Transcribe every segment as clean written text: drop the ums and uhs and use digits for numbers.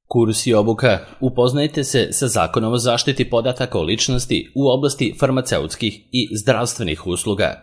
Kurs i obuka. Upoznajte se sa Zakonom o zaštiti podataka o ličnosti u oblasti farmaceutskih i zdravstvenih usluga.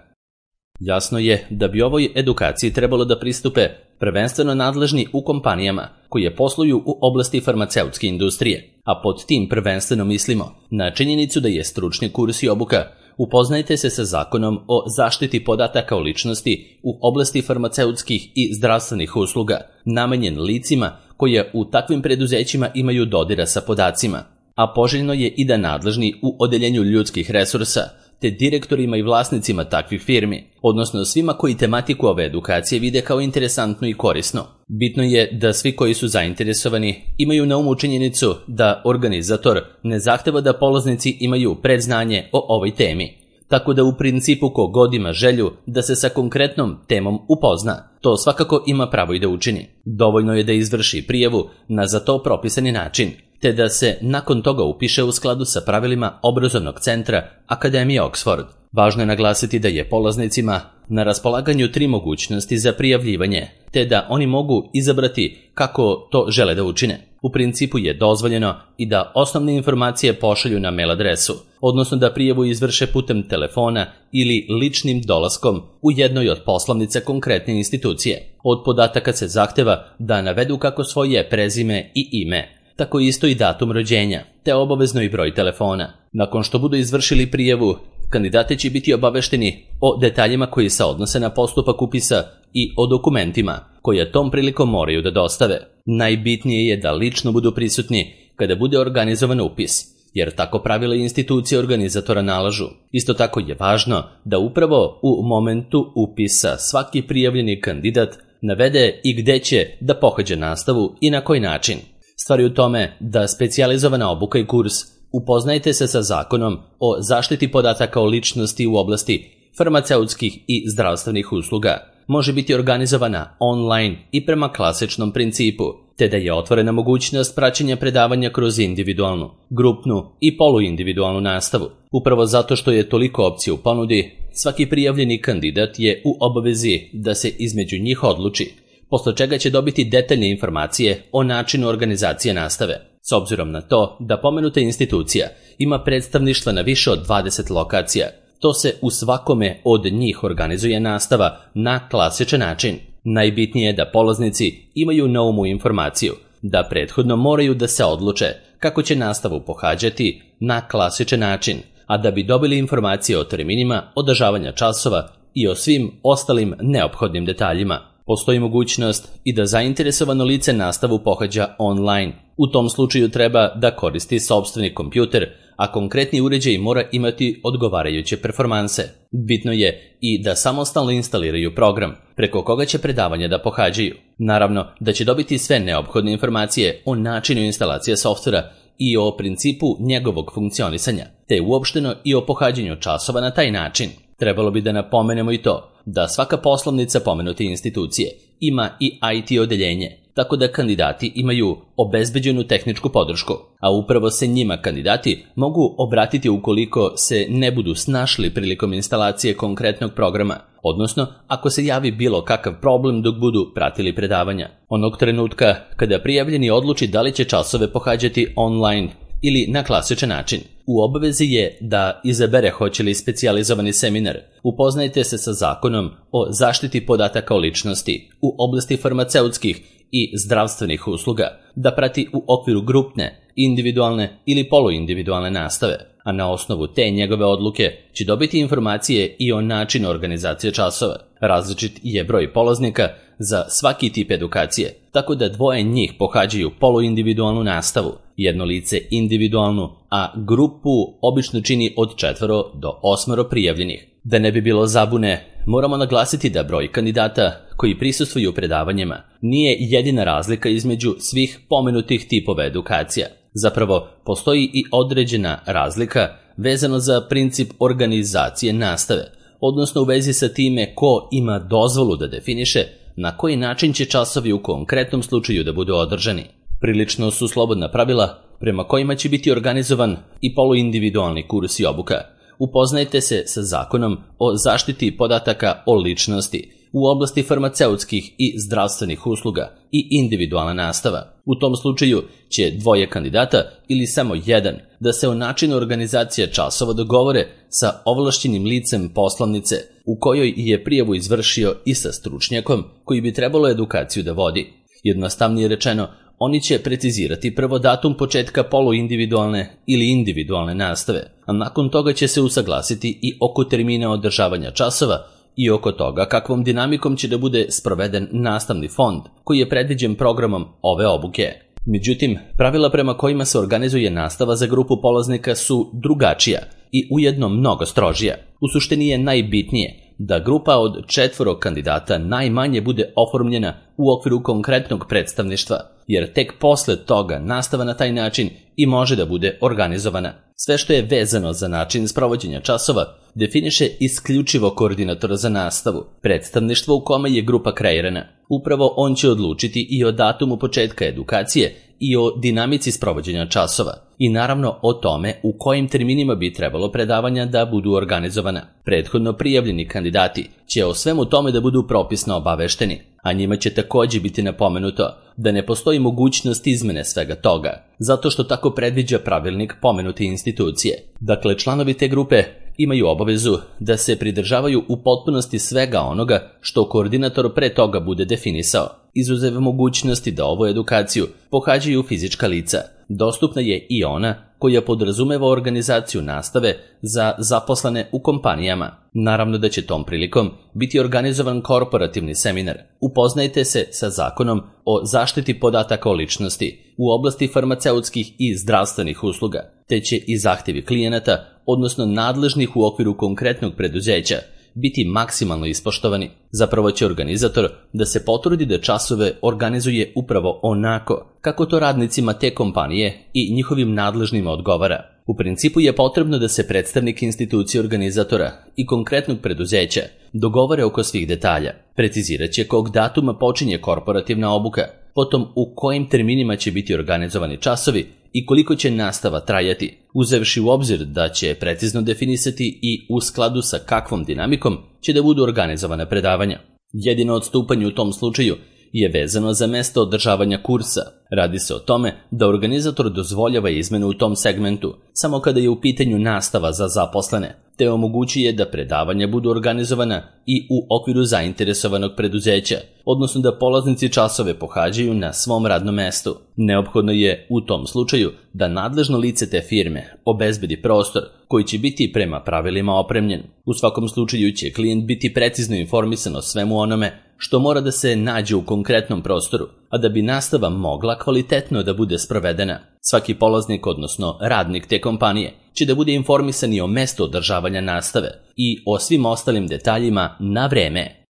Jasno je da bi ovoj edukaciji trebalo da pristupe prvenstveno nadležni u kompanijama koje posluju u oblasti farmaceutske industrije, a pod tim prvenstveno mislimo na činjenicu da je stručni kurs i obuka Upoznajte se sa Zakonom o zaštiti podataka o ličnosti u oblasti farmaceutskih i zdravstvenih usluga, namenjen licima koje u takvim preduzećima imaju dodira sa podacima, a poželjno je i da nadležni u odeljenju ljudskih resursa, te direktorima i vlasnicima takvih firmi, odnosno svima koji tematiku ove edukacije vide kao interesantno i korisno. Bitno je da svi koji su zainteresovani imaju na umu činjenicu da organizator ne zahteva da polaznici imaju predznanje o ovoj temi, tako da u principu ko god ima želju da se sa konkretnom temom upozna, to svakako ima pravo i da učini. Dovoljno je da izvrši prijavu na za to propisani način, te da se nakon toga upiše u skladu sa pravilima obrazovnog centra Akademije Oxford. Važno je naglasiti da je polaznicima na raspolaganju 3 mogućnosti za prijavljivanje, te da oni mogu izabrati kako to žele da učine. U principu je dozvoljeno i da osnovne informacije pošalju na mail adresu, odnosno da prijavu izvrše putem telefona ili ličnim dolaskom u jednoj od poslovnica konkretne institucije. Od podataka se zahteva da navedu kako svoje prezime i ime, tako isto i datum rođenja, te obavezno i broj telefona. Nakon što budu izvršili prijavu, kandidati će biti obavešteni o detaljima koji se odnose na postupak upisa i o dokumentima koje tom prilikom moraju da dostave. Najbitnije je da lično budu prisutni kada bude organizovan upis, jer tako pravila institucije organizatora nalažu. Isto tako je važno da upravo u momentu upisa svaki prijavljeni kandidat navede i gde će da pohađa nastavu i na koji način. Stvar je u tome da specijalizovana obuka i kurs Upoznajte se sa Zakonom o zaštiti podataka o ličnosti u oblasti farmaceutskih i zdravstvenih usluga može biti organizovana online i prema klasičnom principu, te da je otvorena mogućnost praćenja predavanja kroz individualnu, grupnu i poluindividualnu nastavu. Upravo zato što je toliko opcija u ponudi, svaki prijavljeni kandidat je u obavezi da se između njih odluči, posle čega će dobiti detaljne informacije o načinu organizacije nastave. S obzirom na to da pomenuta institucija ima predstavništva na više od 20 lokacija, to se u svakome od njih organizuje nastava na klasičan način. Najbitnije je da polaznici imaju na umu informaciju da prethodno moraju da se odluče kako će nastavu pohađati na klasičan način, a da bi dobili informacije o terminima održavanja časova i o svim ostalim neophodnim detaljima. Postoji mogućnost i da zainteresovano lice nastavu pohađa online. U tom slučaju treba da koristi sopstveni kompjuter, a konkretni uređaj mora imati odgovarajuće performanse. Bitno je i da samostalno instaliraju program, preko koga će predavanja da pohađaju. Naravno da će dobiti sve neophodne informacije o načinu instalacije softvera i o principu njegovog funkcionisanja, te uopšteno i o pohađanju časova na taj način. Trebalo bi da napomenemo i to da svaka poslovnica pomenute institucije ima i IT odeljenje, tako da kandidati imaju obezbeđenu tehničku podršku, a upravo se njima kandidati mogu obratiti ukoliko se ne budu snašli prilikom instalacije konkretnog programa, odnosno ako se javi bilo kakav problem dok budu pratili predavanja. Onog trenutka kada prijavljeni odluči da li će časove pohađati online ili na klasičan način, u obavezi je da izabere hoće li specijalizovani seminar. Upoznajte se sa Zakonom o zaštiti podataka o ličnosti u oblasti farmaceutskih i zdravstvenih usluga, da prati u okviru grupne, individualne ili poluindividualne nastave, a na osnovu te njegove odluke će dobiti informacije i o načinu organizacije časova. Različit je broj polaznika za svaki tip edukacije, tako da 2 njih pohađaju poluindividualnu nastavu, jedno lice individualnu, a grupu obično čini od 4 do 8 prijavljenih. Da ne bi bilo zabune, moramo naglasiti da broj kandidata koji prisustvuju predavanjima nije jedina razlika između svih pomenutih tipova edukacija. Zapravo, postoji i određena razlika vezano za princip organizacije nastave, odnosno u vezi sa time ko ima dozvolu da definiše na koji način će časovi u konkretnom slučaju da budu održani. Prilično su slobodna pravila prema kojima će biti organizovan i poluindividualni kurs i obuka. Upoznajte se sa Zakonom o zaštiti podataka o ličnosti u oblasti farmaceutskih i zdravstvenih usluga i individualna nastava. U tom slučaju će dvoje kandidata ili samo jedan da se o načinu organizacije časova dogovore sa ovlašćenim licem poslovnice u kojoj je prijavu izvršio i sa stručnjakom koji bi trebalo edukaciju da vodi. Jednostavnije rečeno, oni će precizirati prvo datum početka poluindividualne ili individualne nastave, a nakon toga će se usaglasiti i oko termina održavanja časova i oko toga kakvom dinamikom će da bude sproveden nastavni fond koji je predviđen programom ove obuke. Međutim, pravila prema kojima se organizuje nastava za grupu polaznika su drugačija i ujedno mnogo strožija. U suštini je najbitnije da grupa od 4 kandidata najmanje bude oformljena u okviru konkretnog predstavništva, jer tek posle toga nastava na taj način i može da bude organizovana. Sve što je vezano za način sprovođenja časova definiše isključivo koordinator za nastavu, predstavništvo u kome je grupa kreirana. Upravo on će odlučiti i o datumu početka edukacije i o dinamici sprovođenja časova i naravno o tome u kojim terminima bi trebalo predavanja da budu organizovana. Prethodno prijavljeni kandidati će o svemu tome da budu propisno obavešteni, a njima će također biti napomenuto da ne postoji mogućnost izmene svega toga, zato što tako predviđa pravilnik pomenute institucije. Dakle, članovi te grupe imaju obavezu da se pridržavaju u potpunosti svega onoga što koordinator pre toga bude definisao, izuzev mogućnosti da ovu edukaciju pohađaju fizička lica. Dostupna je i ona koja podrazumeva organizaciju nastave za zaposlene u kompanijama. Naravno da će tom prilikom biti organizovan korporativni seminar. Upoznajte se sa zakonom o zaštiti podataka o ličnosti u oblasti farmaceutskih i zdravstvenih usluga, te će i zahtjevi klijenata, odnosno nadležnih u okviru konkretnog preduzeća, biti maksimalno ispoštovani. Zapravo će organizator da se potrudi da časove organizuje upravo onako kako to radnicima te kompanije i njihovim nadležnima odgovara. U principu je potrebno da se predstavnik institucije organizatora i konkretnog preduzeća dogovore oko svih detalja. Precizirat će kog datuma počinje korporativna obuka, potom u kojim terminima će biti organizovani časovi i koliko će nastava trajati, uzevši u obzir da će precizno definisati i u skladu sa kakvom dinamikom će da budu organizovane predavanja. Jedino odstupanje u tom slučaju je vezano za mesto održavanja kursa. Radi se o tome da organizator dozvoljava izmenu u tom segmentu samo kada je u pitanju nastava za zaposlene, te omogućuje da predavanja budu organizovana i u okviru zainteresovanog preduzeća, odnosno da polaznici časove pohađaju na svom radnom mestu. Neophodno je u tom slučaju da nadležno lice te firme obezbedi prostor koji će biti prema pravilima opremljen. U svakom slučaju će klijent biti precizno informisan o svemu onome što mora da se nađe u konkretnom prostoru, a da bi nastava mogla kvalitetno da bude sprovedena. Svaki polaznik, odnosno radnik te kompanije, će da bude informisan i o mestu održavanja nastave i o svim ostalim detaljima na vreme.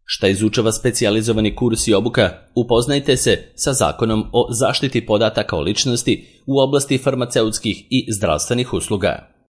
Šta izučava specijalizovani kurs i obuka? Upoznajte se sa zakonom o zaštiti podataka o ličnosti u oblasti farmaceutskih i zdravstvenih usluga.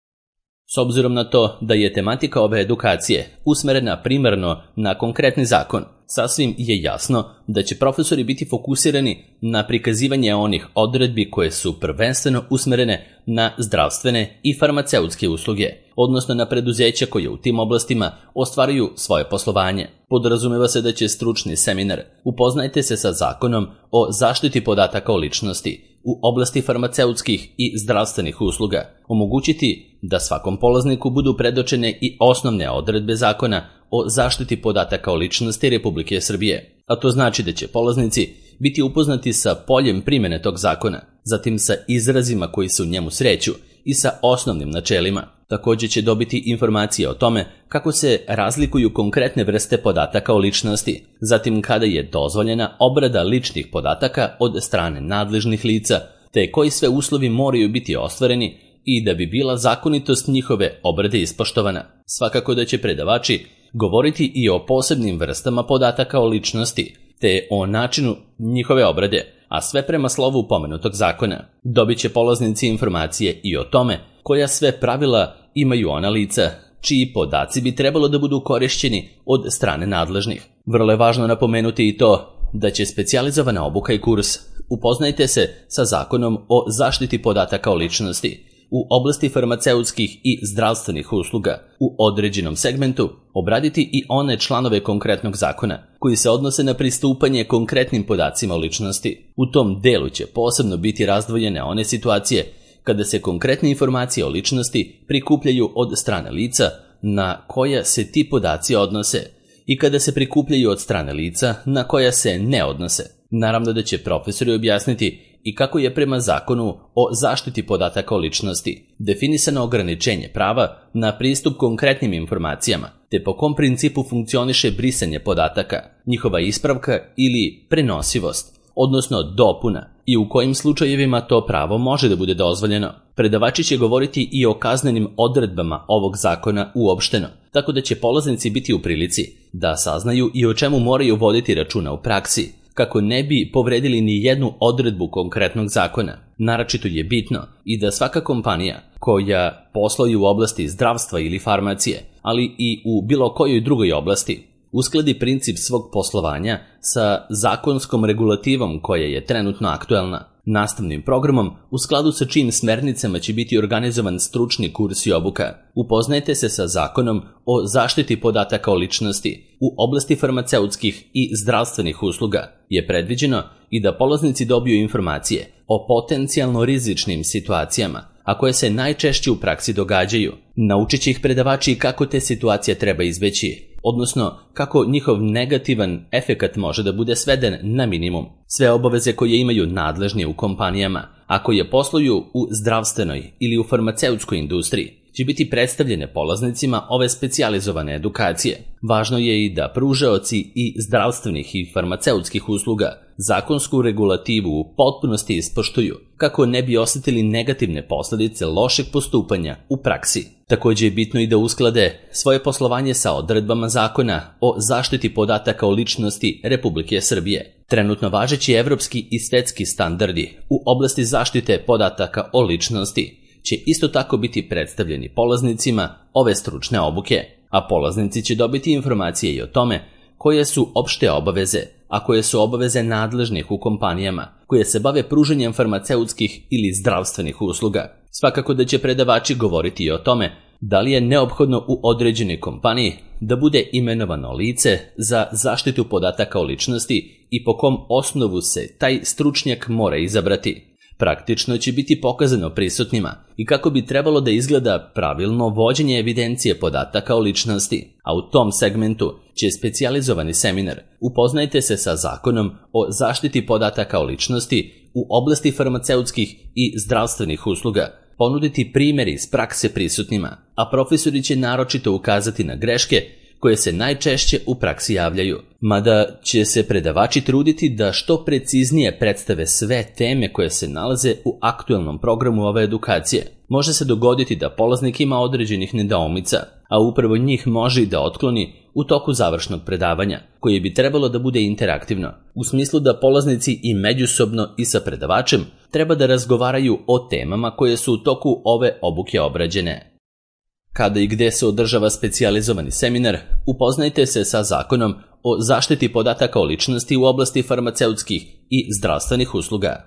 S obzirom na to da je tematika ove edukacije usmerena primarno na konkretni zakon, sasvim je jasno da će profesori biti fokusirani na prikazivanje onih odredbi koje su prvenstveno usmerene na zdravstvene i farmaceutske usluge, odnosno na preduzeća koje u tim oblastima ostvaruju svoje poslovanje. Podrazumeva se da će stručni seminar Upoznajte se sa zakonom o zaštiti podataka o ličnosti u oblasti farmaceutskih i zdravstvenih usluga omogućiti da svakom polazniku budu predočene i osnovne odredbe zakona o zaštiti podataka o ličnosti Republike Srbije, a to znači da će polaznici biti upoznati sa poljem primjene tog zakona, zatim sa izrazima koji se u njemu sreću i sa osnovnim načelima. Također će dobiti informacije o tome kako se razlikuju konkretne vrste podataka o ličnosti, zatim kada je dozvoljena obrada ličnih podataka od strane nadležnih lica, te koji sve uslovi moraju biti ostvareni i da bi bila zakonitost njihove obrade ispoštovana. Svakako da će predavači govoriti i o posebnim vrstama podataka o ličnosti, te o načinu njihove obrade, a sve prema slovu pomenutog zakona. Dobit će polaznici informacije i o tome koja sve pravila imaju ona lica čiji podaci bi trebalo da budu korišćeni od strane nadležnih. Vrlo je važno napomenuti i to da će specijalizovana obuka i kurs Upoznajte se sa zakonom o zaštiti podataka o ličnosti u oblasti farmaceutskih i zdravstvenih usluga u određenom segmentu obraditi i one članove konkretnog zakona koji se odnose na pristupanje konkretnim podacima o ličnosti. U tom delu će posebno biti razdvojene one situacije kada se konkretne informacije o ličnosti prikupljaju od strane lica na koja se ti podaci odnose i kada se prikupljaju od strane lica na koja se ne odnose. Naravno da će profesori objasniti i kako je prema zakonu o zaštiti podataka o ličnosti definisano ograničenje prava na pristup konkretnim informacijama, te po kom principu funkcioniše brisanje podataka, njihova ispravka ili prenosivost, odnosno dopuna, i u kojim slučajevima to pravo može da bude dozvoljeno. Predavači će govoriti i o kaznenim odredbama ovog zakona uopšteno, tako da će polaznici biti u prilici da saznaju i o čemu moraju voditi računa u praksi, kako ne bi povredili ni jednu odredbu konkretnog zakona. Naročito je bitno i da svaka kompanija koja posluje u oblasti zdravstva ili farmacije, ali i u bilo kojoj drugoj oblasti, uskladi princip svog poslovanja sa zakonskom regulativom koja je trenutno aktuelna, nastavnim programom u skladu sa čijim smernicama će biti organizovan stručni kurs i obuka. Upoznajte se sa zakonom o zaštiti podataka o ličnosti u oblasti farmaceutskih i zdravstvenih usluga. Je predviđeno i da polaznici dobiju informacije o potencijalno rizičnim situacijama, a koje se najčešće u praksi događaju. Naučit će ih predavači kako te situacije treba izbeći, odnosno kako njihov negativan efekat može da bude sveden na minimum. Sve obaveze koje imaju nadležni u kompanijama, a koje posluju u zdravstvenoj ili u farmaceutskoj industriji, će biti predstavljene polaznicima ove specijalizovane edukacije. Važno je i da pružaoci i zdravstvenih i farmaceutskih usluga zakonsku regulativu u potpunosti ispoštuju, kako ne bi osjetili negativne posljedice lošeg postupanja u praksi. Također je bitno i da usklade svoje poslovanje sa odredbama zakona o zaštiti podataka o ličnosti Republike Srbije. Trenutno važeći evropski i svetski standardi u oblasti zaštite podataka o ličnosti će isto tako biti predstavljeni polaznicima ove stručne obuke, a polaznici će dobiti informacije i o tome koje su opšte obaveze, a koje su obaveze nadležnih u kompanijama koje se bave pružanjem farmaceutskih ili zdravstvenih usluga. Svakako da će predavači govoriti i o tome da li je neophodno u određenoj kompaniji da bude imenovano lice za zaštitu podataka o ličnosti i po kom osnovu se taj stručnjak mora izabrati. Praktično će biti pokazano prisutnima i kako bi trebalo da izgleda pravilno vođenje evidencije podataka o ličnosti, a u tom segmentu će specijalizovani seminar Upoznajte se sa zakonom o zaštiti podataka o ličnosti u oblasti farmaceutskih i zdravstvenih usluga ponuditi primjeri iz prakse prisutnima, a profesori će naročito ukazati na greške koje se najčešće u praksi javljaju, mada će se predavači truditi da što preciznije predstave sve teme koje se nalaze u aktuelnom programu ove edukacije. Može se dogoditi da polaznik ima određenih nedoumica, a upravo njih može i da otkloni u toku završnog predavanja, koje bi trebalo da bude interaktivno, u smislu da polaznici i međusobno i sa predavačem treba da razgovaraju o temama koje su u toku ove obuke obrađene. Kada i gde se održava specijalizovani seminar, upoznajte se sa zakonom o zaštiti podataka o ličnosti u oblasti farmaceutskih i zdravstvenih usluga.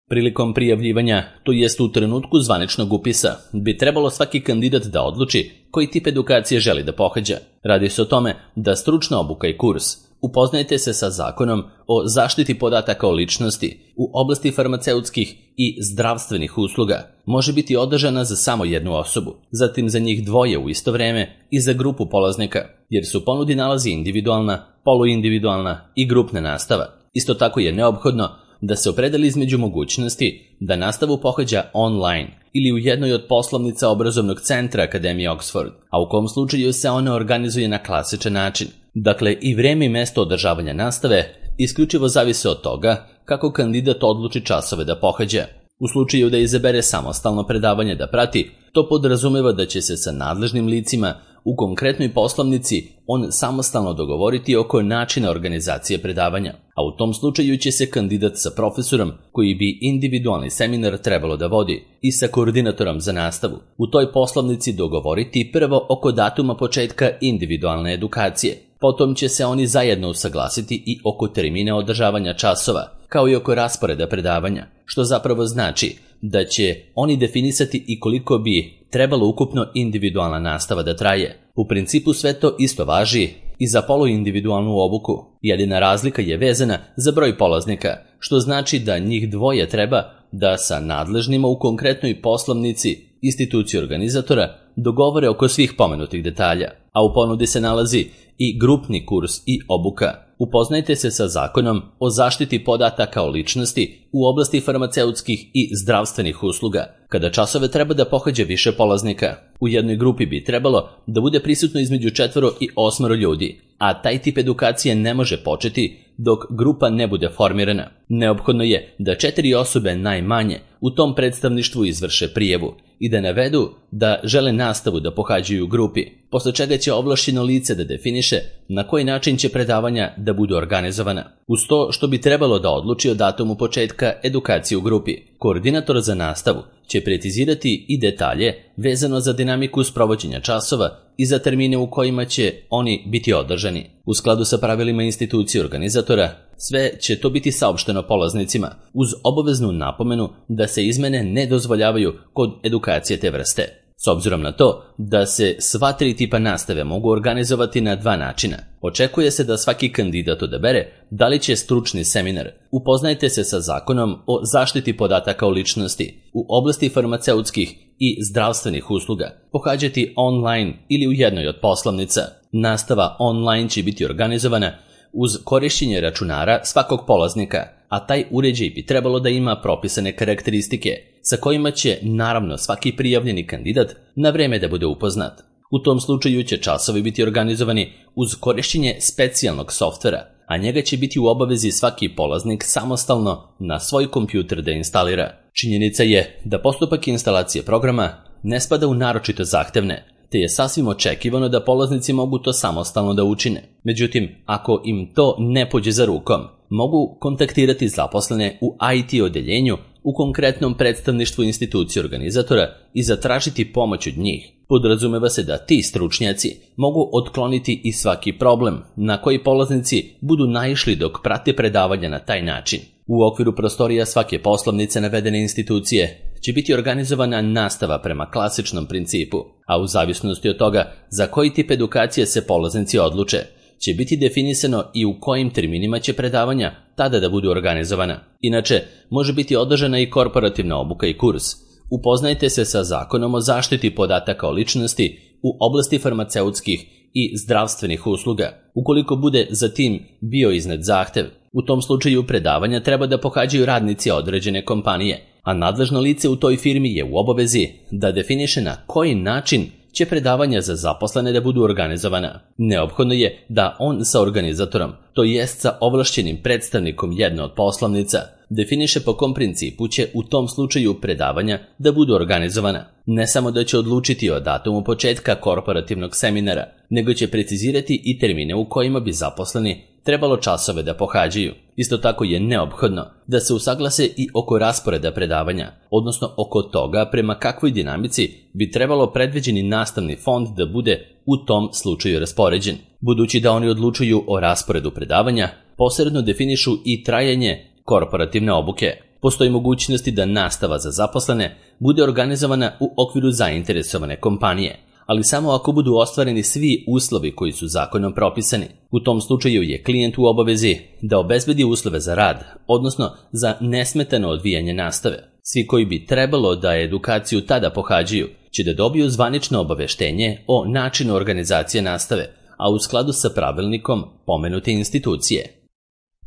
Prilikom prijavljivanja, to jest u trenutku zvaničnog upisa, bi trebalo svaki kandidat da odluči koji tip edukacije želi da pohađa. Radi se o tome da stručna obuka i kurs Upoznajte se sa zakonom o zaštiti podataka o ličnosti u oblasti farmaceutskih i zdravstvenih usluga može biti održana za samo jednu osobu, zatim za njih dvoje u isto vreme i za grupu polaznika, jer su ponudi nalazi individualna, poluindividualna i grupna nastava. Isto tako je neophodno da se opredeli između mogućnosti da nastavu pohađa online ili u jednoj od poslovnica obrazovnog centra Akademije Oxford, a u kom slučaju se ona organizuje na klasičan način. Dakle, i vreme i mesto održavanja nastave isključivo zavise od toga kako kandidat odluči časove da pohađa. U slučaju da izabere samostalno predavanje da prati, to podrazumeva da će se sa nadležnim licima u konkretnoj poslovnici on samostalno dogovoriti oko načina organizacije predavanja, a u tom slučaju će se kandidat sa profesorom koji bi individualni seminar trebalo da vodi i sa koordinatorom za nastavu u toj poslovnici dogovoriti prvo oko datuma početka individualne edukacije. Potom će se oni zajedno usaglasiti i oko termina održavanja časova, kao i oko rasporeda predavanja, što zapravo znači da će oni definisati i koliko bi trebalo ukupno individualna nastava da traje. U principu sve to isto važi i za poluindividualnu obuku. Jedina razlika je vezana za broj polaznika, što znači da njih dvoje treba da sa nadležnima u konkretnoj poslovnici instituciji organizatora dogovore oko svih pomenutih detalja, a u ponudi se nalazi i grupni kurs i obuka. Upoznajte se sa Zakonom o zaštiti podataka o ličnosti u oblasti farmaceutskih i zdravstvenih usluga, kada časove treba da pohađa više polaznika. U jednoj grupi bi trebalo da bude prisutno između 4 i 8 ljudi, a taj tip edukacije ne može početi dok grupa ne bude formirana. Neophodno je da 4 osobe najmanje u tom predstavništvu izvrše prijavu i da navedu da žele nastavu da pohađaju u grupi, posle čega će ovlašćeno lice da definiše na koji način će predavanja da budu organizovana. Uz to što bi trebalo da odluči o datumu početka edukacije u grupi, koordinator za nastavu će precizirati i detalje vezano za dinamiku sprovođenja časova i za termine u kojima će oni biti održani. U skladu sa pravilima institucije organizatora, sve će to biti saopšteno polaznicima, uz obaveznu napomenu da se izmene ne dozvoljavaju kod edukacije te vrste. S obzirom na to da se sva 3 tipa nastave mogu organizovati na 2 načina, očekuje se da svaki kandidat odabere da li će stručni seminar Upoznajte se sa Zakonom o zaštiti podataka o ličnosti u oblasti farmaceutskih i zdravstvenih usluga pohađati online ili u jednoj od poslovnica. Nastava online će biti organizovana uz korišćenje računara svakog polaznika, a taj uređaj bi trebalo da ima propisane karakteristike sa kojima će naravno svaki prijavljeni kandidat na vreme da bude upoznat. U tom slučaju će časovi biti organizovani uz korišćenje specijalnog softvera, a njega će biti u obavezi svaki polaznik samostalno na svoj kompjuter da instalira. Činjenica je da postupak instalacije programa ne spada u naročito zahtevne, te je sasvim očekivano da polaznici mogu to samostalno da učine. Međutim, ako im to ne pođe za rukom, mogu kontaktirati zaposlene u IT odeljenju u konkretnom predstavništvu institucije organizatora i zatražiti pomoć od njih. Podrazumeva se da ti stručnjaci mogu otkloniti i svaki problem na koji polaznici budu naišli dok prate predavanja na taj način. U okviru prostorija svake poslovnice navedene institucije će biti organizovana nastava prema klasičnom principu, a u zavisnosti od toga za koji tip edukacije se polaznici odluče, će biti definisano i u kojim terminima će predavanja tada da budu organizovana. Inače, može biti održana i korporativna obuka i kurs. Upoznajte se sa Zakonom o zaštiti podataka o ličnosti u oblasti farmaceutskih i zdravstvenih usluga, ukoliko bude za tim bio iznet zahtev. U tom slučaju predavanja treba da pohađaju radnici određene kompanije, a nadležno lice u toj firmi je u obavezi da definiše na koji način će predavanja za zaposlene da budu organizovana. Neophodno je da on sa organizatorom, to jest sa ovlašćenim predstavnikom jedne od poslovnica, definiše po kom principu će u tom slučaju predavanja da budu organizovana. Ne samo da će odlučiti o datumu početka korporativnog seminara, nego će precizirati i termine u kojima bi zaposleni trebalo časove da pohađaju. Isto tako je neophodno da se usaglase i oko rasporeda predavanja, odnosno oko toga prema kakvoj dinamici bi trebalo predviđeni nastavni fond da bude u tom slučaju raspoređen. Budući da oni odlučuju o rasporedu predavanja, posredno definišu i trajanje korporativne obuke. Postoji mogućnosti da nastava za zaposlene bude organizovana u okviru zainteresovane kompanije, ali samo ako budu ostvareni svi uslovi koji su zakonom propisani. U tom slučaju je klijent u obavezi da obezbedi uslove za rad, odnosno za nesmetano odvijanje nastave. Svi koji bi trebalo da edukaciju tada pohađaju će da dobiju zvanično obaveštenje o načinu organizacije nastave, a u skladu sa pravilnikom pomenute institucije.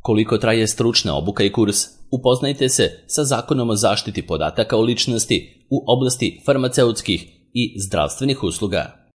Koliko traje stručna obuka i kurs? Upoznajte se sa Zakonom o zaštiti podataka o ličnosti u oblasti farmaceutskih i zdravstvenih usluga.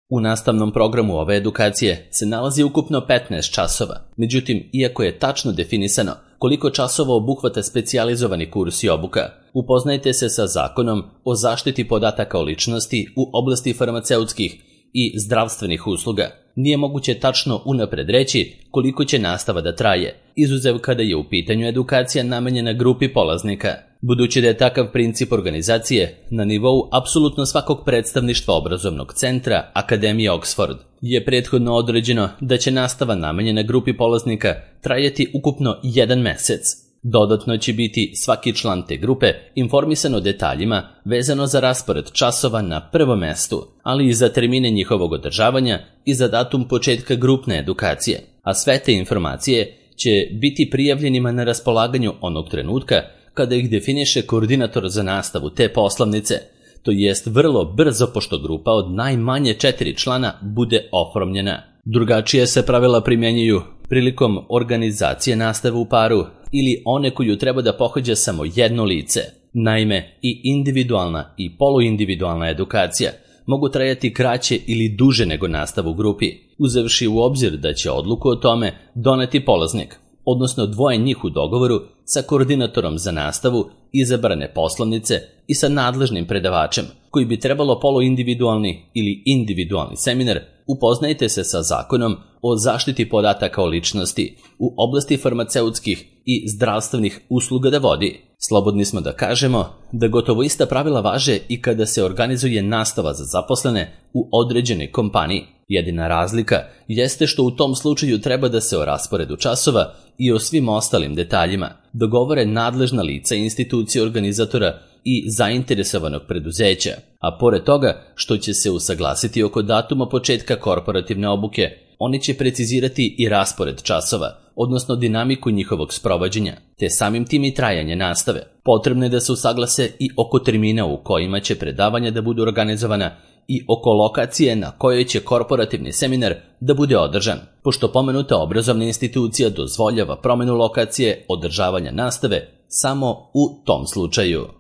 U nastavnom programu ove edukacije se nalazi ukupno 15 časova. Međutim, iako je tačno definisano koliko časova obuhvata specijalizovani kurs i obuka, upoznajte se sa Zakonom o zaštiti podataka o ličnosti u oblasti farmaceutskih i zdravstvenih usluga. Nije moguće tačno unapred reći koliko će nastava da traje, izuzev kada je u pitanju edukacija namenjena grupi polaznika. Budući da je takav princip organizacije na nivou apsolutno svakog predstavništva obrazovnog centra Akademije Oxford, je prethodno određeno da će nastava namenjena grupi polaznika trajati ukupno 1 mesec. Dodatno će biti svaki član te grupe informisan o detaljima vezano za raspored časova na prvom mestu, ali i za termine njihovog održavanja i za datum početka grupne edukacije, a sve te informacije će biti prijavljenima na raspolaganju onog trenutka kada ih definiše koordinator za nastavu te poslovnice, to jest vrlo brzo pošto grupa od najmanje 4 člana bude oformljena. Drugačije se pravila primjenjuju prilikom organizacije nastave u paru ili one koju treba da pohađa samo jedno lice. Naime, i individualna i poluindividualna edukacija mogu trajati kraće ili duže nego nastavu u grupi, uzevši u obzir da će odluku o tome doneti polaznik, odnosno dvoje njih u dogovoru sa koordinatorom za nastavu izabrane poslovnice i sa nadležnim predavačem, koji bi trebalo poluindividualni ili individualni seminar upoznajte se sa zakonom o zaštiti podataka o ličnosti u oblasti farmaceutskih i zdravstvenih usluga da vodi. Slobodni smo da kažemo da gotovo ista pravila važe i kada se organizuje nastava za zaposlene u određenoj kompaniji. Jedina razlika jeste što u tom slučaju treba da se o rasporedu časova i o svim ostalim detaljima dogovore nadležna lica institucije organizatora i zainteresovanog preduzeća, a pored toga što će se usaglasiti oko datuma početka korporativne obuke, oni će precizirati i raspored časova, odnosno dinamiku njihovog sprovođenja, te samim tim i trajanje nastave. Potrebno je da se usaglase i oko termina u kojima će predavanja da budu organizovana i oko lokacije na kojoj će korporativni seminar da bude održan, pošto pomenuta obrazovna institucija dozvoljava promenu lokacije održavanja nastave samo u tom slučaju.